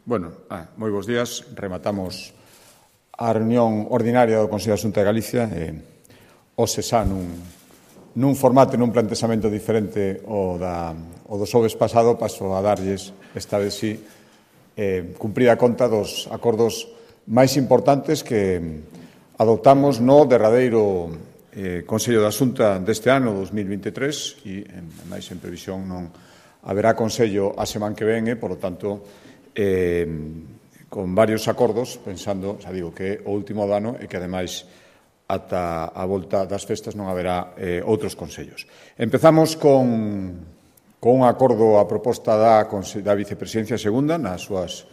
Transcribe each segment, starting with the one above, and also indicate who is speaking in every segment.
Speaker 1: Moi bons días. Rematamos a reunión ordinaria do Consello de Xunta de Galicia. Hoxe xa nun formato, nun planteamento diferente o do xoves pasado, paso a darlles esta vez sí cumprida conta dos acordos máis importantes que adoptamos no derradeiro Consello da Xunta deste ano 2023 e, máis en previsión, non haberá Consello a semana que ven, por lo tanto, con varios acordos, pensando, xa digo, que o último do ano e que, ademais, ata a volta das festas non haberá outros consellos. Empezamos con un acordo a proposta da Vicepresidencia Segunda nas súas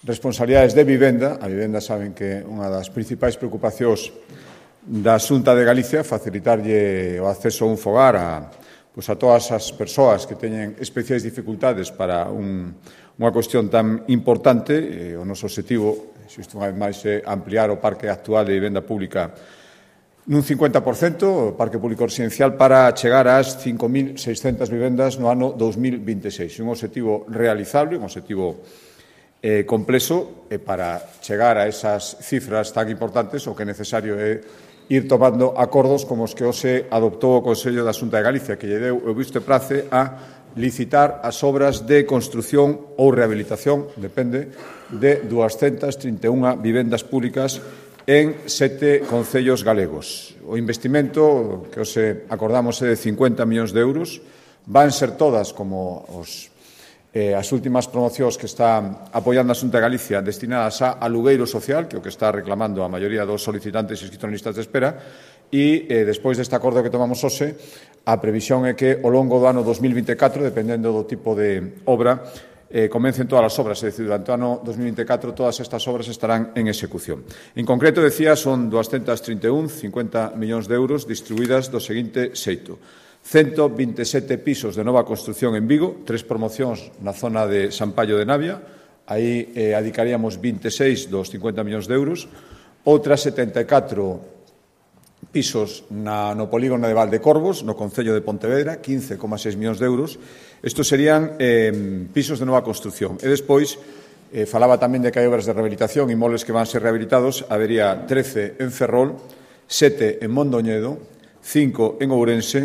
Speaker 1: responsabilidades de vivenda. A vivenda saben que é unha das principais preocupacións da Xunta de Galicia, facilitarlle o acceso a un fogar a todas as persoas que teñen especiais dificultades para unha cuestión tan importante. O noso obxectivo, existe unha vez máis, é ampliar o parque actual de vivenda pública nun 50%, o parque público residencial, para chegar ás 5.600 vivendas no ano 2026. Un obxectivo realizable, un obxectivo complexo, e para chegar a esas cifras tan importantes o que é necesario é ir tomando acordos como os que hoxe adoptou o Consello da Xunta de Galicia, que lle deu o visto e prace a licitar as obras de construción ou rehabilitación, depende, de 231 vivendas públicas en 7 concellos galegos. O investimento que hoxe acordamos é de 50 millóns de euros. Van ser todas, como as últimas promocións que está apoiando a Xunta de Galicia, destinadas a alugueiro social, que é o que está reclamando a maioría dos solicitantes inscritos en listas de espera, e despois deste acordo que tomamos hoxe, a previsión é que ao longo do ano 2024, dependendo do tipo de obra, comecen todas as obras, é dicir, durante o ano 2024 todas estas obras estarán en execución. En concreto, decía, son 231, 50 millóns de euros distribuídas do seguinte xeito: 127 pisos de nova construción en Vigo, 3 promocións na zona de San Pallo de Navia, aí adicaríamos 26 dos 50 millóns de euros, outras 74 pisos no polígono de Valdecorvos, no concello de Pontevedra, 15,6 millóns de euros. Estos serían pisos de nova construción. E despois, falaba tamén de que hai obras de rehabilitación, inmobles que van a ser rehabilitados. Habería 13 en Ferrol, 7 en Mondoñedo, 5 en Ourense,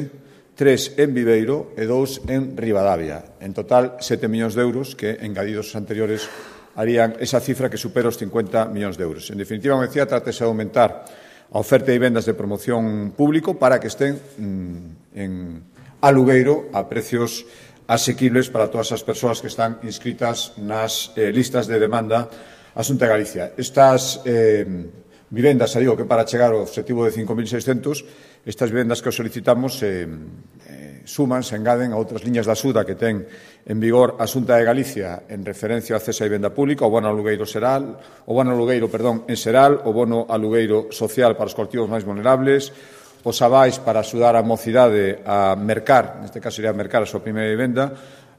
Speaker 1: 3 en Viveiro e 2 en Ribadavia. En total, 7 millóns de euros que, engadidos os anteriores, harían esa cifra que supera os 50 millóns de euros. En definitiva, como decía, trátase de aumentar a oferta de vivendas de promoción público para que estén en alugueiro a precios asequibles para todas as persoas que están inscritas nas listas de demanda a Xunta de Galicia. Estas vivendas, xa digo, que para chegar ao obxectivo de 5.600, estas vivendas que os solicitamos suman, se engaden a outras liñas da axuda que ten en vigor a Xunta de Galicia en referencia ao acceso á vivenda pública, o bono alugueiro en Seral, o bono alugueiro social para os colectivos máis vulnerables, os avais para axudar a mocidade a mercar, neste caso sería mercar a súa primeira vivenda,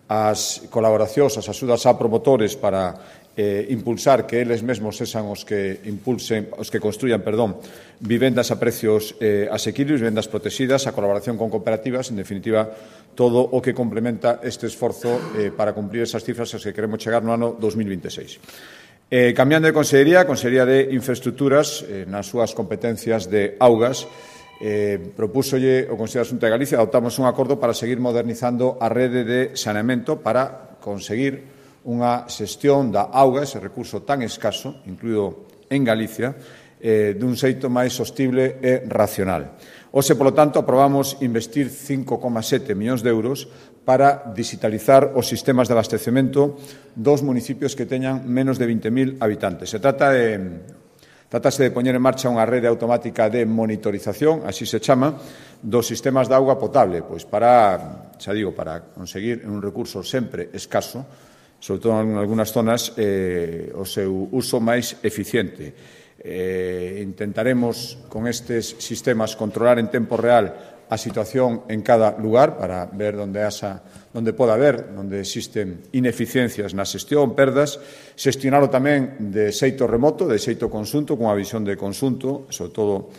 Speaker 1: as colaboracións, as axudas a promotores para impulsar que eles mesmos sexan os que construyan, vivendas a precios asequibles, vivendas protegidas, a colaboración con cooperativas, en definitiva, todo o que complementa este esforzo para cumprir esas cifras as que queremos chegar no ano 2026. Cambiando de Consellería, a Consellería de Infraestructuras, nas súas competencias de augas, propúsolle o Consello da Xunta de Galicia, adoptamos un acordo para seguir modernizando a rede de saneamento para conseguir unha xestión da auga, ese recurso tan escaso, incluído en Galicia, dun xeito máis sostible e racional. Hoxe, polo tanto, aprobamos investir 5,7 millóns de euros para digitalizar os sistemas de abastecemento dos municipios que teñan menos de 20.000 habitantes. Trátase de poñer en marcha unha rede automática de monitorización, así se chama, dos sistemas de auga potable, pois para conseguir un recurso sempre escaso, sobre todo en algunhas zonas, o seu uso máis eficiente. Intentaremos, con estes sistemas, controlar en tempo real a situación en cada lugar para ver onde existen ineficiencias na xestión, perdas, xestionalo tamén de xeito remoto, de xeito conxunto, cunha visión de conxunto, sobre todo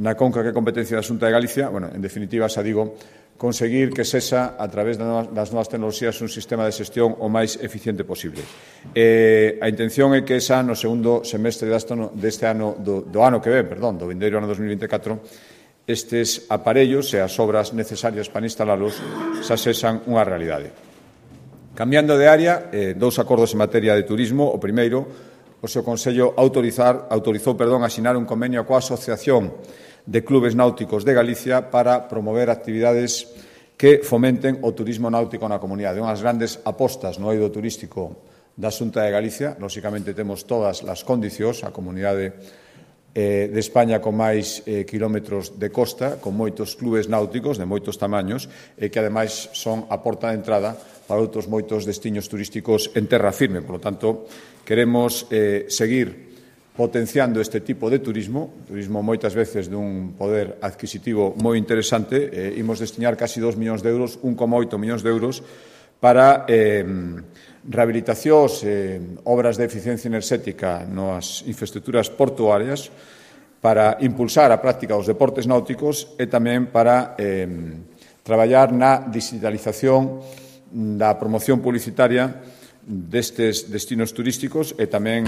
Speaker 1: na conca que é competencia da Xunta de Galicia. En definitiva, xa digo, conseguir que sexa, a través das novas tecnoloxías, un sistema de xestión o máis eficiente posible. A intención é que xa no segundo semestre deste ano, do ano que ven, do vindeiro ano 2024, estes aparellos e as obras necesarias para instalalos xa sexan unha realidade. Cambiando de área, dous acordos en materia de turismo. O primeiro, o seu Consello autorizou asinar un convenio coa Asociación de Clubes Náuticos de Galicia para promover actividades que fomenten o turismo náutico na comunidade. Unhas grandes apostas no eido turístico da Xunta de Galicia. Lóxicamente temos todas as condicións, a comunidade de España con máis kilómetros de costa, con moitos clubes náuticos de moitos tamaños e que ademais son a porta de entrada para outros moitos destinos turísticos en terra firme. Por lo tanto, queremos seguir potenciando este tipo de turismo moitas veces dun poder adquisitivo moi interesante. Imos destinar casi 2 millóns de euros, 1,8 millóns de euros, para rehabilitacións, obras de eficiencia enerxética nas infraestructuras portuarias, para impulsar a práctica dos deportes náuticos e tamén para traballar na digitalización da promoción publicitaria destes destinos turísticos e tamén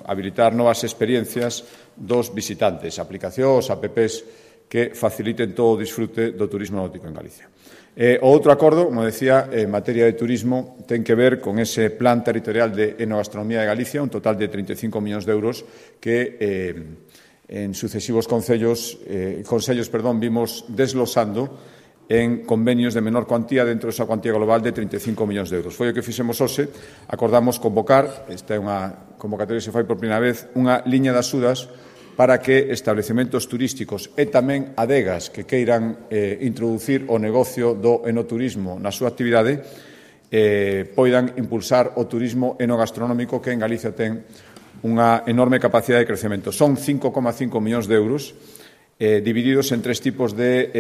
Speaker 1: habilitar novas experiencias dos visitantes, aplicacións, apps que faciliten todo o disfrute do turismo náutico en Galicia. O outro acordo, como decía, en materia de turismo, ten que ver con ese plan territorial de enogastronomía de Galicia, un total de 35 millóns de euros que en sucesivos consellos vimos desglosando en convenios de menor cuantía dentro desa cuantía global de 35 millóns de euros. Foi o que fixemos hoxe. Acordamos convocar, esta é unha convocatoria que se fai por primeira vez, unha liña de axudas para que establecementos turísticos e tamén adegas que queiran introducir o negocio do enoturismo na súa actividade poidan impulsar o turismo enogastronómico, que en Galicia ten unha enorme capacidade de crecemento. Son 5,5 millóns de euros divididos en tres tipos de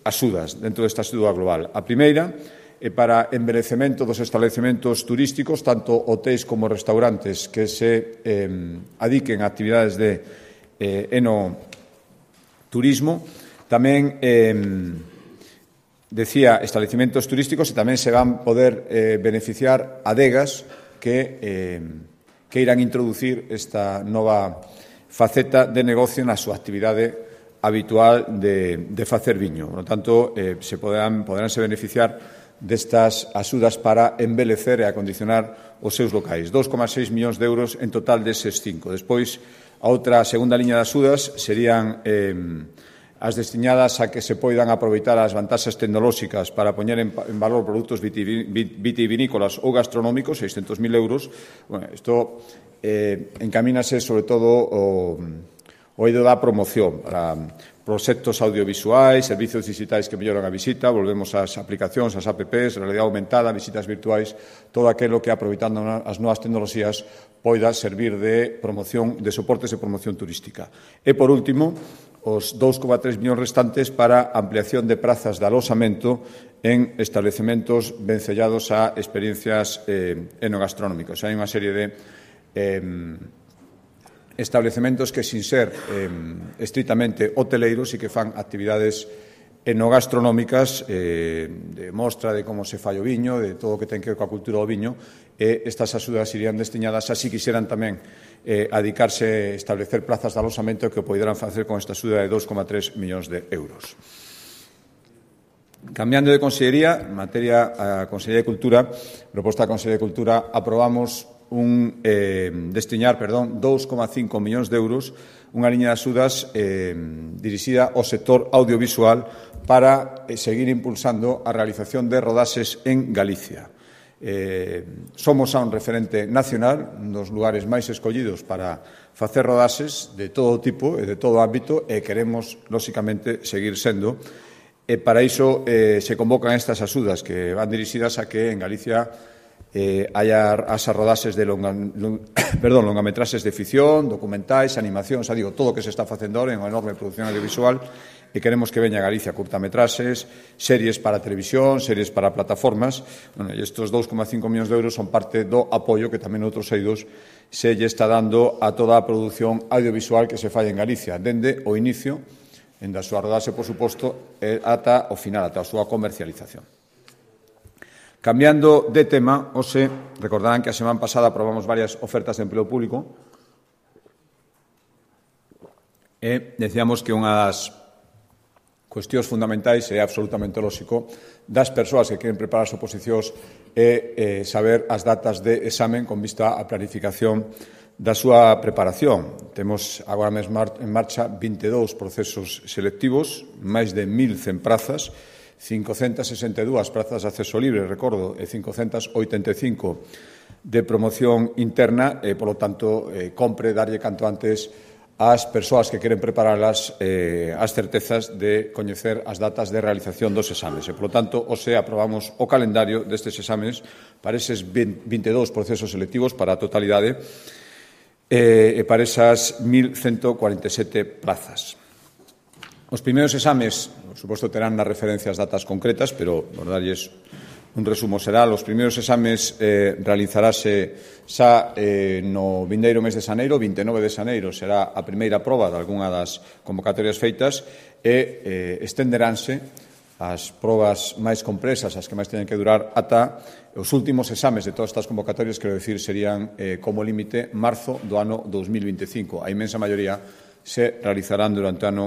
Speaker 1: axudas dentro desta axuda global. A primeira é para embelecemento dos establecementos turísticos, tanto hotéis como restaurantes que se adiquen a actividades de enoturismo. Tamén, decía, establecementos turísticos, e tamén se van poder beneficiar adegas que irán introducir esta nova faceta de negocio na súa actividade habitual de facer viño. Por lo tanto, poderánse beneficiar destas axudas para embelecer e acondicionar os seus locais. 2,6 millóns de euros en total deses 5. Despois, a outra segunda liña de axudas serían as destinadas a que se poidan aproveitar as vantaxes tecnolóxicas para poñer en valor produtos vitivinícolas ou gastronómicos, 600.000 euros. Isto encamínase sobre todo o eido da promoción para proxectos audiovisuais, servizos digitais que melloran a visita, volvemos ás aplicacións, ás apps, realidade aumentada, visitas virtuais, todo aquilo que, aproveitando as novas tecnoloxías, poida servir de promoción, de soportes de promoción turística. E, por último, os 2,3 millóns restantes para ampliación de prazas de alosamento en establecementos vencellados a experiencias enogastronómicas. Hai unha serie de establecementos que, sin ser estritamente hoteleiros, e que fan actividades enogastronómicas de mostra de como se fai o viño, de todo o que ten que ver coa cultura do viño, e estas axudas irían destinadas a, si quixeran tamén adicarse a establecer plazas de alosamento que poderán facer con esta axuda de 2,3 millóns de euros. Cambiando de consellería, en materia a Consellería de Cultura, proposta da Consellería de Cultura, aprobamos destinar 2,5 millóns de euros, unha liña de axudas dirixida ao sector audiovisual para seguir impulsando a realización de rodaxes en Galicia. Somos un referente nacional, un dos lugares máis escollidos para facer rodaxes de todo tipo e de todo ámbito, e queremos, lóxicamente, seguir sendo. E para iso se convocan estas axudas que van dirixidas a que en Galicia haya as rodaxes de longametraxes de ficción, documentais, animacións, todo o que se está facendo ahora en unha enorme produción audiovisual, e queremos que veña a Galicia curtametraxes, series para televisión, series para plataformas. E estes 2,5 millóns de euros son parte do apoio que tamén outros eidos se lle está dando a toda a produción audiovisual que se fai en Galicia, dende o inicio en da súa rodaxe, por suposto, ata o final, ata a súa comercialización. Cambiando de tema, hoxe, recordarán que a semana pasada aprobamos varias ofertas de empleo público e decíamos que unha das cuestións fundamentais é absolutamente lóxico das persoas que queren preparar as oposicións é saber as datas de examen con vista á planificación da súa preparación. Temos agora mesmo en marcha 22 procesos selectivos, máis de 1.100 prazas, 562 prazas de acceso libre, recordo, e 585 de promoción interna, e, polo tanto, compre darlle canto antes ás persoas que queren preparalas as certezas de coñecer as datas de realización dos exames. E, polo tanto, hoxe aprobamos o calendario destes exames para eses 22 procesos selectivos para a totalidade e para esas 1.147 plazas. Os primeiros exames, por suposto, terán nas referencias datas concretas, pero, por darlles un resumo xeral, os primeiros exames realizarase xa no vindeiro mes de xaneiro, 29 de xaneiro será a primeira proba de algunha das convocatorias feitas e estenderánse as probas máis compresas, as que máis teñen que durar, ata os últimos exames de todas estas convocatorias, quero dicir, serían como límite marzo do ano 2025. A inmensa maioría se realizarán durante o ano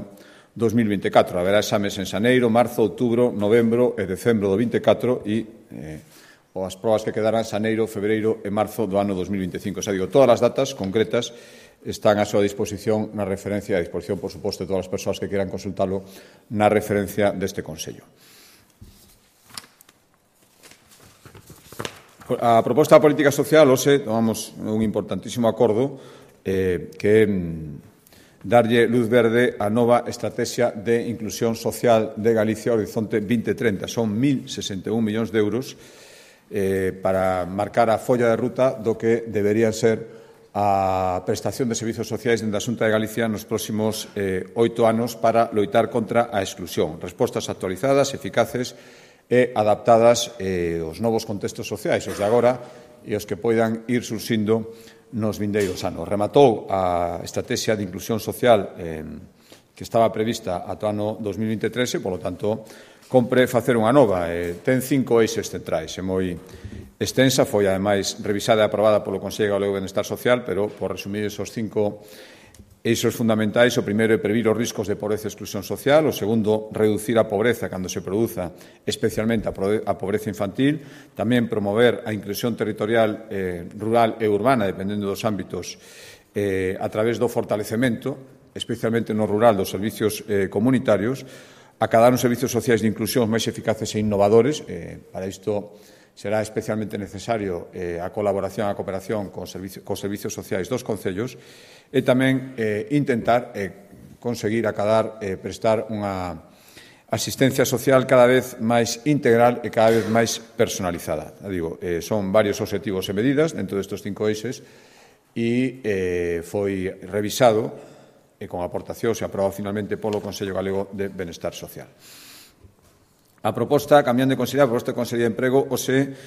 Speaker 1: 2024. Haberá exames en xaneiro, marzo, outubro, novembro e decembro do 24 e as probas que quedarán xaneiro, febreiro e marzo do ano 2025. Xa digo, todas as datas concretas están a súa disposición na referencia, a disposición, por suposto, de todas as persoas que quieran consultalo na referencia deste Consello. A proposta da política social, hoxe, tomamos un importantísimo acordo que darlle luz verde á nova estrategia de inclusión social de Galicia Horizonte 2030. Son 1.061 millóns de euros para marcar a folla de ruta do que deberían ser a prestación de servizos sociais dentro da Xunta de Galicia nos próximos 8 anos para loitar contra a exclusión. Respostas actualizadas, eficaces e adaptadas aos novos contextos sociais, os de agora e os que poidan ir surxindo nos vindeiros anos. Rematou a estrategia de inclusión social que estaba prevista ata o ano 2023 e, polo tanto, compre facer unha nova. Ten 5 eixes centrais. É moi extensa, foi, ademais, revisada e aprobada polo Consello Galego de Benestar Social, pero, por resumir esos 5 eixos fundamentais, o primeiro é previr os riscos de pobreza e exclusión social, o segundo, reducir a pobreza cando se produza, especialmente a pobreza infantil, tamén promover a inclusión territorial rural e urbana, dependendo dos ámbitos, a través do fortalecemento, especialmente no rural, dos servicios comunitarios, acadar uns servicios sociais de inclusión máis eficaces e innovadores. Para isto será especialmente necesario a colaboración, a cooperación cos servicios sociais dos concellos e tamén intentar conseguir acadar, prestar unha asistencia social cada vez máis integral e cada vez máis personalizada. Digo, son varios obxectivos e medidas dentro destes 5 eixes e foi revisado e con aportacións e aprobado finalmente polo Consello Galego de Benestar Social. A proposta, cambiando de consellería, a proposta de Consellería de Emprego, hoxe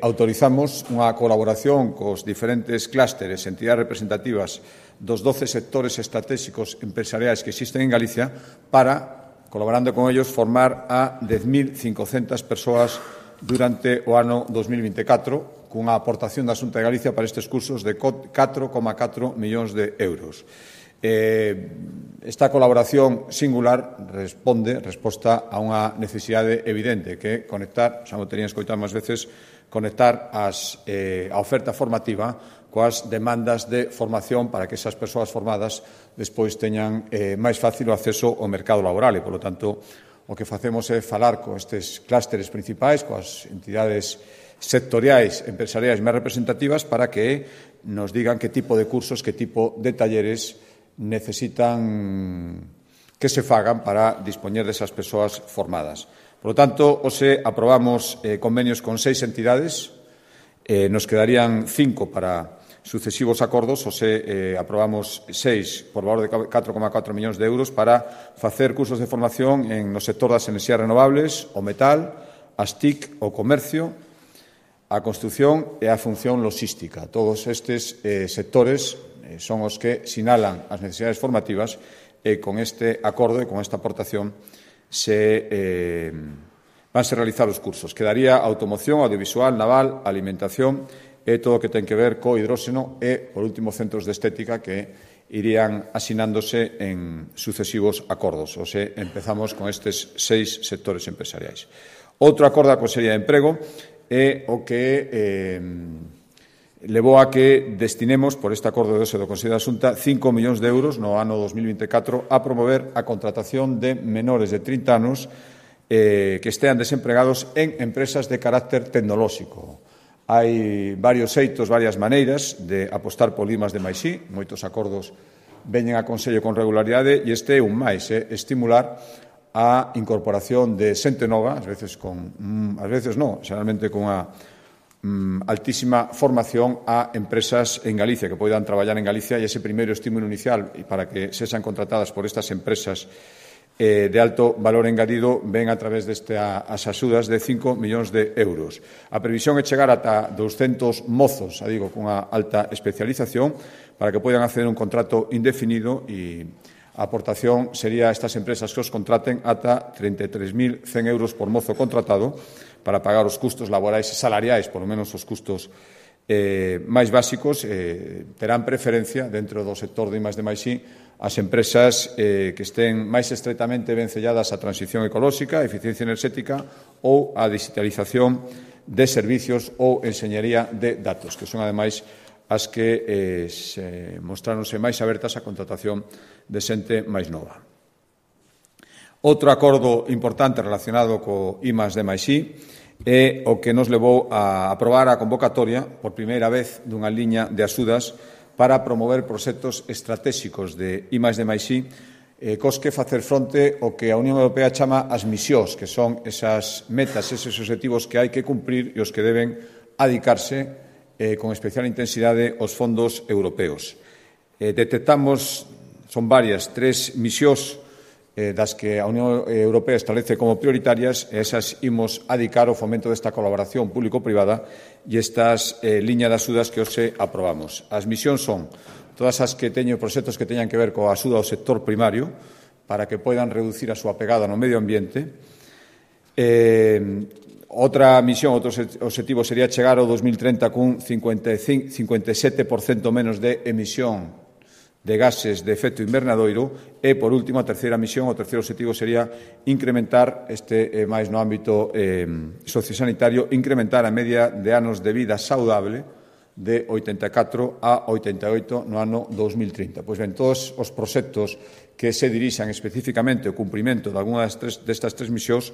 Speaker 1: autorizamos unha colaboración cos diferentes clústeres e entidades representativas dos 12 sectores estratégicos empresariais que existen en Galicia para, colaborando con ellos, formar a 10.500 persoas durante o ano 2024, cunha aportación da Xunta de Galicia para estes cursos de 4,4 millóns de euros. Esta colaboración singular resposta a unha necesidade evidente que é conectar, xa o terían escoitado máis veces, conectar a oferta formativa coas demandas de formación para que esas persoas formadas despois teñan máis fácil o acceso ao mercado laboral e, polo tanto, o que facemos é falar con estes clústeres principais, coas entidades sectoriais, empresariais máis representativas para que nos digan que tipo de cursos, que tipo de talleres necesitan que se fagan para dispoñer desas persoas formadas. Por lo tanto, hoxe aprobamos convenios con 6 entidades, nos quedarían 5 para sucesivos acordos, hoxe aprobamos 6 por valor de 4,4 millóns de euros para facer cursos de formación no sector das enerxías renovables, o metal, as TIC, o comercio, a construción e a función logística. Todos estes sectores son os que sinalan as necesidades formativas e con este acordo e con esta aportación vanse realizar os cursos. Quedaría automoción, audiovisual, naval, alimentación e todo o que ten que ver co hidróxeno e, por último, centros de estética que irían asinándose en sucesivos acordos. O sea, empezamos con estes 6 sectores empresariais. Outro acordo da Consellería de Emprego é o que levou a que destinemos, por este acordo de ose do Consello da Xunta, 5 millóns de euros no ano 2024 a promover a contratación de menores de 30 anos que estean desempregados en empresas de carácter tecnolóxico. Hai varios xeitos, varias maneiras de apostar por IMAS de máis I, moitos acordos veñen a Consello con regularidade e este é un máis, estimular a incorporación de xente nova, ás veces xeralmente con unha altísima formación a empresas en Galicia que poidan traballar en Galicia e ese primeiro estímulo inicial para que sexan contratadas por estas empresas de alto valor engadido ven a través destas axudas de 5 millóns de euros. A previsión é chegar ata 200 mozos, digo, cunha alta especialización para que poidan acceder a un contrato indefinido e a aportación sería a estas empresas que os contraten ata 33.100 euros por mozo contratado para pagar os custos laborais e salariais, por lo menos os custos máis básicos, terán preferencia dentro do sector de I+D+I as empresas que estén máis estreitamente vencelladas á transición ecolóxica, a eficiencia enerxética ou a digitalización de servicios ou enxeñería de datos, que son, ademais, as que mostráronse máis abertas á contratación de xente máis nova. Outro acordo importante relacionado co I+D+I é o que nos levou a aprobar a convocatoria por primeira vez dunha liña de axudas para promover proxectos estratégicos de I+D+I cos que facer fronte ao que a Unión Europea chama as misións, que son esas metas, eses obxectivos que hai que cumprir e os que deben adicarse con especial intensidade os fondos europeos. Detectamos, son varias, 3 misións das que a Unión Europea establece como prioritarias, e esas imos adicar ao fomento desta colaboración público-privada e estas liñas de axudas que hoxe aprobamos. As misións son todas as que teñen proxectos que teñan que ver coa axuda ao sector primario para que poidan reducir a súa pegada no medio ambiente. Outra misión, outro obxectivo sería chegar ao 2030 cun 57% menos de emisión de gases de efecto invernadoiro e, por último, a terceira misión, o terceiro obxectivo sería incrementar, máis no ámbito sociosanitario, incrementar a media de anos de vida saudable de 84 a 88 no ano 2030. Pois ben, todos os proxectos que se dirixan especificamente ao cumprimento de algunhas destas 3 misións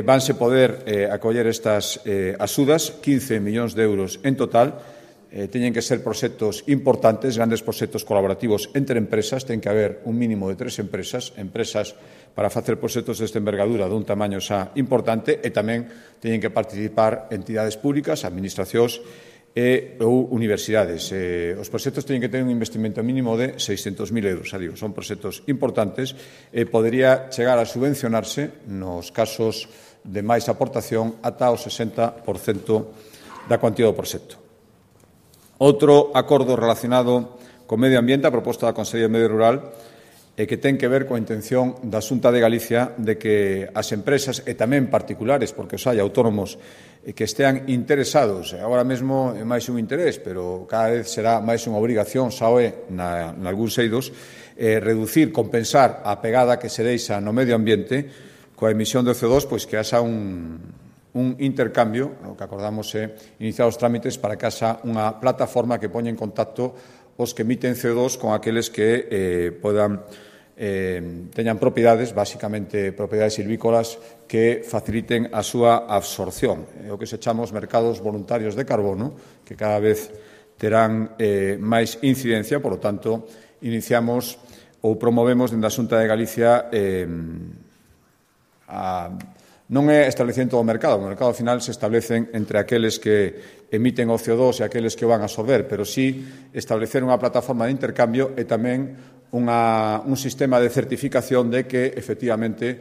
Speaker 1: vanse poder acoller estas axudas, 15 millóns de euros en total. Teñen que ser proxectos importantes, grandes proxectos colaborativos entre empresas, ten que haber un mínimo de 3 empresas para facer proxectos desta envergadura dun tamaño xa importante e tamén teñen que participar entidades públicas, administracións ou universidades. Os proxectos teñen que ter un investimento mínimo de 600.000 euros, son proxectos importantes e podería chegar a subvencionarse nos casos de máis aportación ata o 60% da cuantía do proxecto. Outro acordo relacionado co medio ambiente, a proposta da Consellería de Medio Rural, que ten que ver coa intención da Xunta de Galicia de que as empresas, e tamén particulares, porque os hai autónomos que estean interesados, agora mesmo é máis un interés, pero cada vez será máis unha obrigación, xa o é nalgúns eidos, reducir, compensar a pegada que se deixa no medio ambiente coa emisión de CO2, pois que haxa un intercambio, o que acordamos é iniciar os trámites para que haxa unha plataforma que poña en contacto os que emiten CO2 con aqueles que teñan propiedades, basicamente propiedades silvícolas, que faciliten a súa absorción. É o que se chama os mercados voluntarios de carbono, que cada vez terán máis incidencia, por lo tanto, iniciamos ou promovemos dende a Xunta de Galicia non é establecendo o mercado ao final se establecen entre aqueles que emiten o CO2 e aqueles que o van a absorber, pero sí establecer unha plataforma de intercambio e tamén un sistema de certificación de que, efectivamente,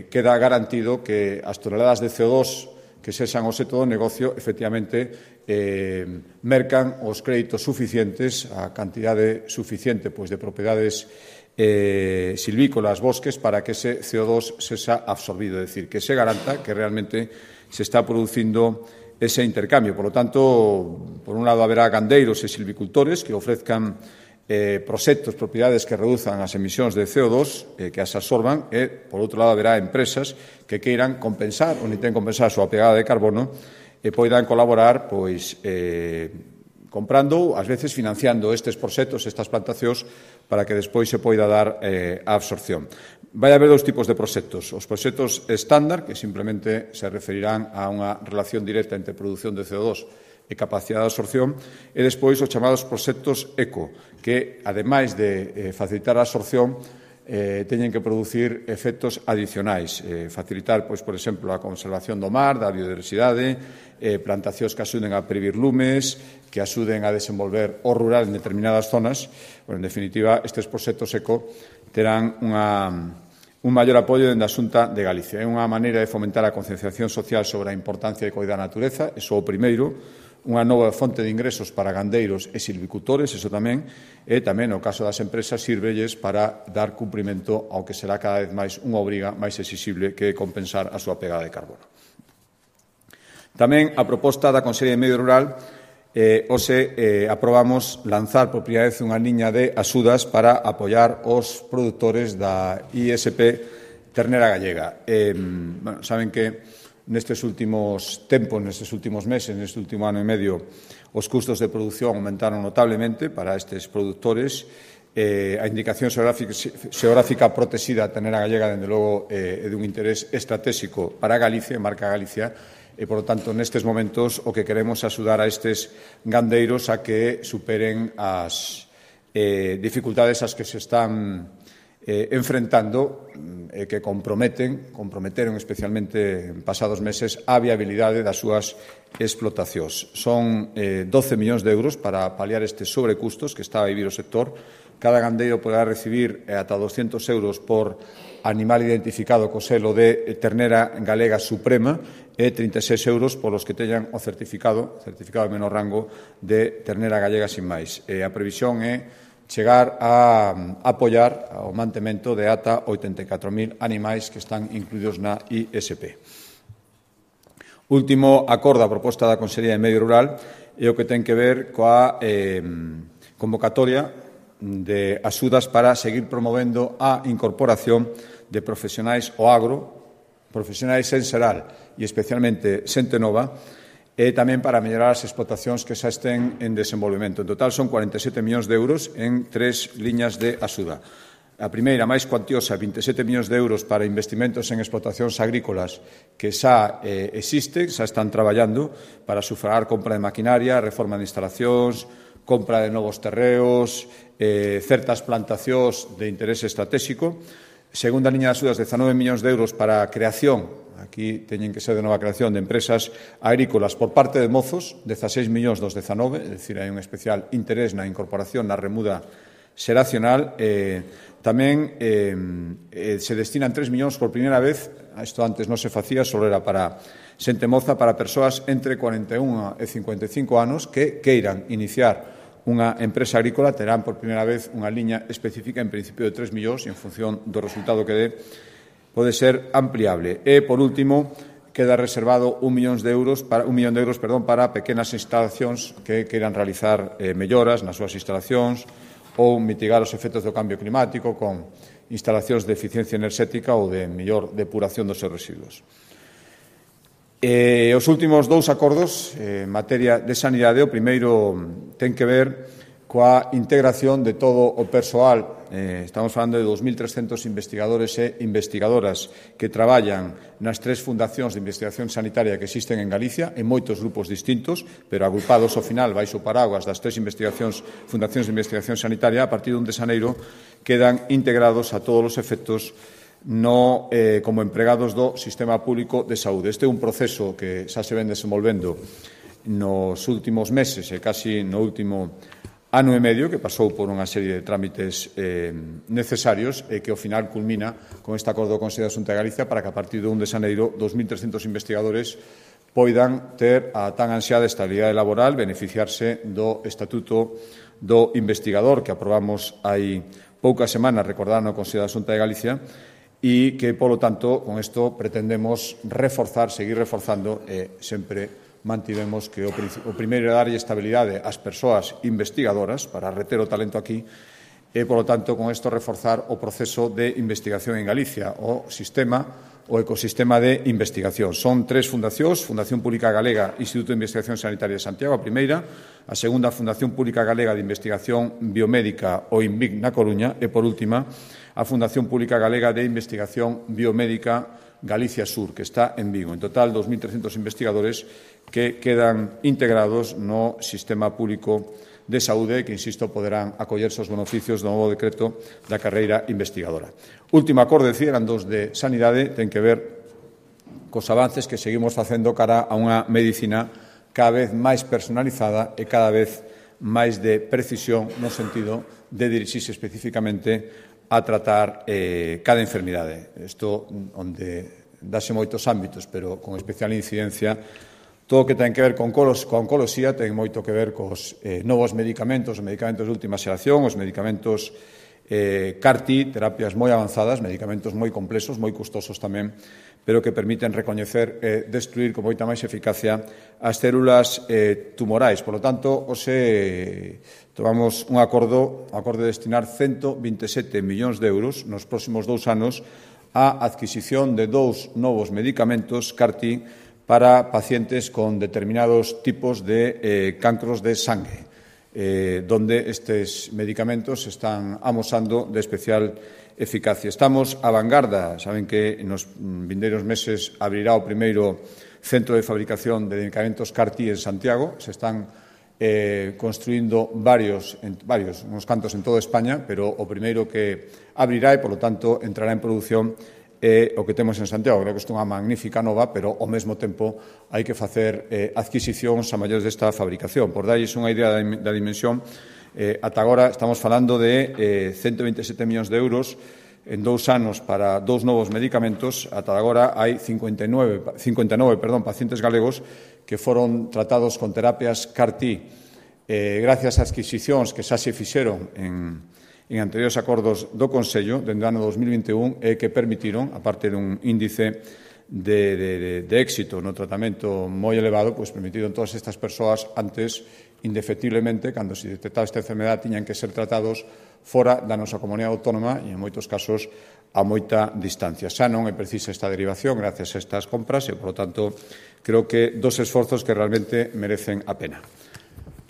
Speaker 1: queda garantido que as toneladas de CO2 que sexan o obxecto do negocio, efectivamente, mercan os créditos suficientes, a cantidade suficiente de propiedades silvícolas, bosques, para que ese CO2 sexa absorbido, é dicir, que se garanta que realmente se está producindo ese intercambio. Por lo tanto, por un lado, haberá gandeiros e silvicultores que ofrezcan proxectos, propiedades que reduzan as emisións de CO2, que as absorban, e, por outro lado, haberá empresas que queiran compensar ou intenten compensar a súa pegada de carbono e poidan colaborar comprando, ás veces financiando estes proxectos, estas plantacións, para que despois se poida dar a absorción. Vai haber dous tipos de proxectos. Os proxectos estándar, que simplemente se referirán a unha relación directa entre produción de CO2 e capacidade de absorción, e despois os chamados proxectos eco, que, ademais de facilitar a absorción, teñen que producir efectos adicionais, facilitar, por exemplo, a conservación do mar, da biodiversidade, plantacións que axuden a previr lumes, que axuden a desenvolver o rural en determinadas zonas. En definitiva, estes proxectos eco terán un maior apoio dende a Xunta de Galicia. É unha maneira de fomentar a concienciación social sobre a importancia de coidar a natureza, iso o primeiro, unha nova fonte de ingresos para gandeiros e silvicultores, iso tamén, e tamén, no caso das empresas, sírvelles para dar cumprimento ao que será cada vez máis unha obriga máis exixible, que é compensar a súa pegada de carbono. Tamén, a proposta da Consellería de Medio Rural, aprobamos lanzar por primeira vez unha liña de axudas para apoiar os produtores da ISP ternera gallega. Saben que nestes últimos tempos, nestes últimos meses, neste último ano e medio, os custos de produción aumentaron notablemente para estes produtores. A indicación xeográfica protexida ternera gallega, dende logo, é dun interés estratégico para Galicia, marca Galicia, e, por lo tanto, nestes momentos o que queremos é axudar a estes gandeiros a que superen as dificultades ás que se están enfrentando, que comprometeron especialmente en pasados meses a viabilidade das súas explotacións. Son 12 millóns de euros para paliar estes sobrecustos que está a vivir o sector. Cada gandeiro poderá recibir ata 200 euros por animal identificado co selo de ternera galega suprema e 36 euros por os que teñan o certificado de menor rango de ternera galega sin máis. A previsión é chegar a apoiar o mantemento de ata 84.000 animais que están incluídos na ISP. Último acordo a proposta da Consellería de Medio Rural é o que ten que ver coa convocatoria de axudas para seguir promovendo a incorporación de profesionais ao agro, profesionais en xeral e especialmente xente nova, e tamén para mellorar as explotacións que xa estén en desenvolvemento. En total son 47 millóns de euros en 3 liñas de axuda. A primeira, máis cuantiosa, 27 millóns de euros para investimentos en explotacións agrícolas que xa existen, xa están traballando para sufragar compra de maquinaria, reforma de instalacións, compra de novos terreos, certas plantacións de interés estratégico. Segunda liña de axudas, 19 millóns de euros para a creación, aquí teñen que ser de nova creación de empresas agrícolas por parte de mozos, 16 millóns dos 19, é dicir, hai un especial interés na incorporación na remuda xeracional. Tamén se destinan 3 millóns por primeira vez, isto antes non se facía, só era para xente moza, para persoas entre 41 e 55 anos que queiran iniciar unha empresa agrícola, terán por primeira vez unha liña específica, en principio de 3 millóns, e en función do resultado que dé, pode ser ampliable. E, por último, queda reservado 1 millón de euros para pequenas instalacións que queiran realizar melloras nas súas instalacións ou mitigar os efectos do cambio climático con instalacións de eficiencia enerxética ou de mellor depuración dos seus residuos. Os últimos dous acordos en materia de sanidade, o primeiro ten que ver coa integración de todo o persoal. Estamos falando de 2.300 investigadores e investigadoras que traballan nas 3 fundacións de investigación sanitaria que existen en Galicia, en moitos grupos distintos, pero agrupados ao final baixo paraguas das 3 fundacións de investigación sanitaria. A partir de 1 de xaneiro quedan integrados a todos os efectos como empregados do sistema público de saúde. Este é un proceso que xa se ven desenvolvendo nos últimos meses e casi no último ano e medio, que pasou por unha serie de trámites necesarios e que ao final culmina con este acordo do Consello da Xunta de Galicia para que a partir do 1 de xaneiro 2.300 investigadores poidan ter a tan ansiada estabilidade laboral, beneficiarse do Estatuto do Investigador que aprobamos hai poucas semanas, recordar no Consello da Xunta de Galicia, e que, polo tanto, con isto pretendemos reforzar, seguir reforzando e sempre mantivemos que o primeiro é darlle estabilidade ás persoas investigadoras para reter o talento aquí e, polo tanto, con isto reforzar o proceso de investigación en Galicia, o ecosistema de investigación. Son 3 fundacións, Fundación Pública Galega, Instituto de Investigación Sanitaria de Santiago, a primeira, a segunda, Fundación Pública Galega de Investigación Biomédica, o INVIC, na Coruña, e, por última, a Fundación Pública Galega de Investigación Biomédica Galicia Sur, que está en Vigo. En total, 2.300 investigadores que quedan integrados no sistema público de saúde que, insisto, poderán acollerse aos beneficios do novo decreto da carreira investigadora. Último acordo, eran 2 de sanidade, ten que ver cos avances que seguimos facendo cara a unha medicina cada vez máis personalizada e cada vez máis de precisión no sentido de dirixirse especificamente a tratar cada enfermidade. Isto onde dase moitos ámbitos, pero con especial incidencia todo o que ten que ver con oncoloxía ten moito que ver cos novos medicamentos, os medicamentos de última xeración, os medicamentos CAR-T, terapias moi avanzadas, medicamentos moi complexos, moi custosos tamén, pero que permiten recoñecer e destruir con moita máis eficacia as células tumorais. Por lo tanto, tomamos un acordo de destinar 127 millóns de euros nos próximos 2 anos á adquisición de 2 novos medicamentos CAR-T para pacientes con determinados tipos de cancros de sangue, donde estes medicamentos están amosando de especial eficacia. Estamos á vanguarda, saben que nos vindeiros meses abrirá o primeiro centro de fabricación de medicamentos CAR-T en Santiago, se están construindo varios, uns cantos en toda España, pero o primeiro que abrirá e, polo tanto, entrará en produción o que temos en Santiago. Creo que isto é unha magnífica nova, pero ao mesmo tempo hai que facer adquisicións a maiores desta fabricación. Por darlles unha idea da dimensión, ata agora estamos falando de 127 millóns de euros en 2 anos para 2 novos medicamentos. Ata agora hai 59 pacientes galegos que foron tratados con terapias CAR-T gracias a adquisicións que xa se fixeron en anteriores acordos do Consello dende o ano 2021 e que permitiron, aparte dun índice de éxito no tratamento moi elevado, pois permitiron todas estas persoas antes, indefectiblemente, cando se detectaba esta enfermedade, tiñan que ser tratados fora da nosa comunidade autónoma e, en moitos casos, a moita distancia. Xa non é precisa esta derivación gracias a estas compras e, por lo tanto, creo que 2 esforzos que realmente merecen a pena.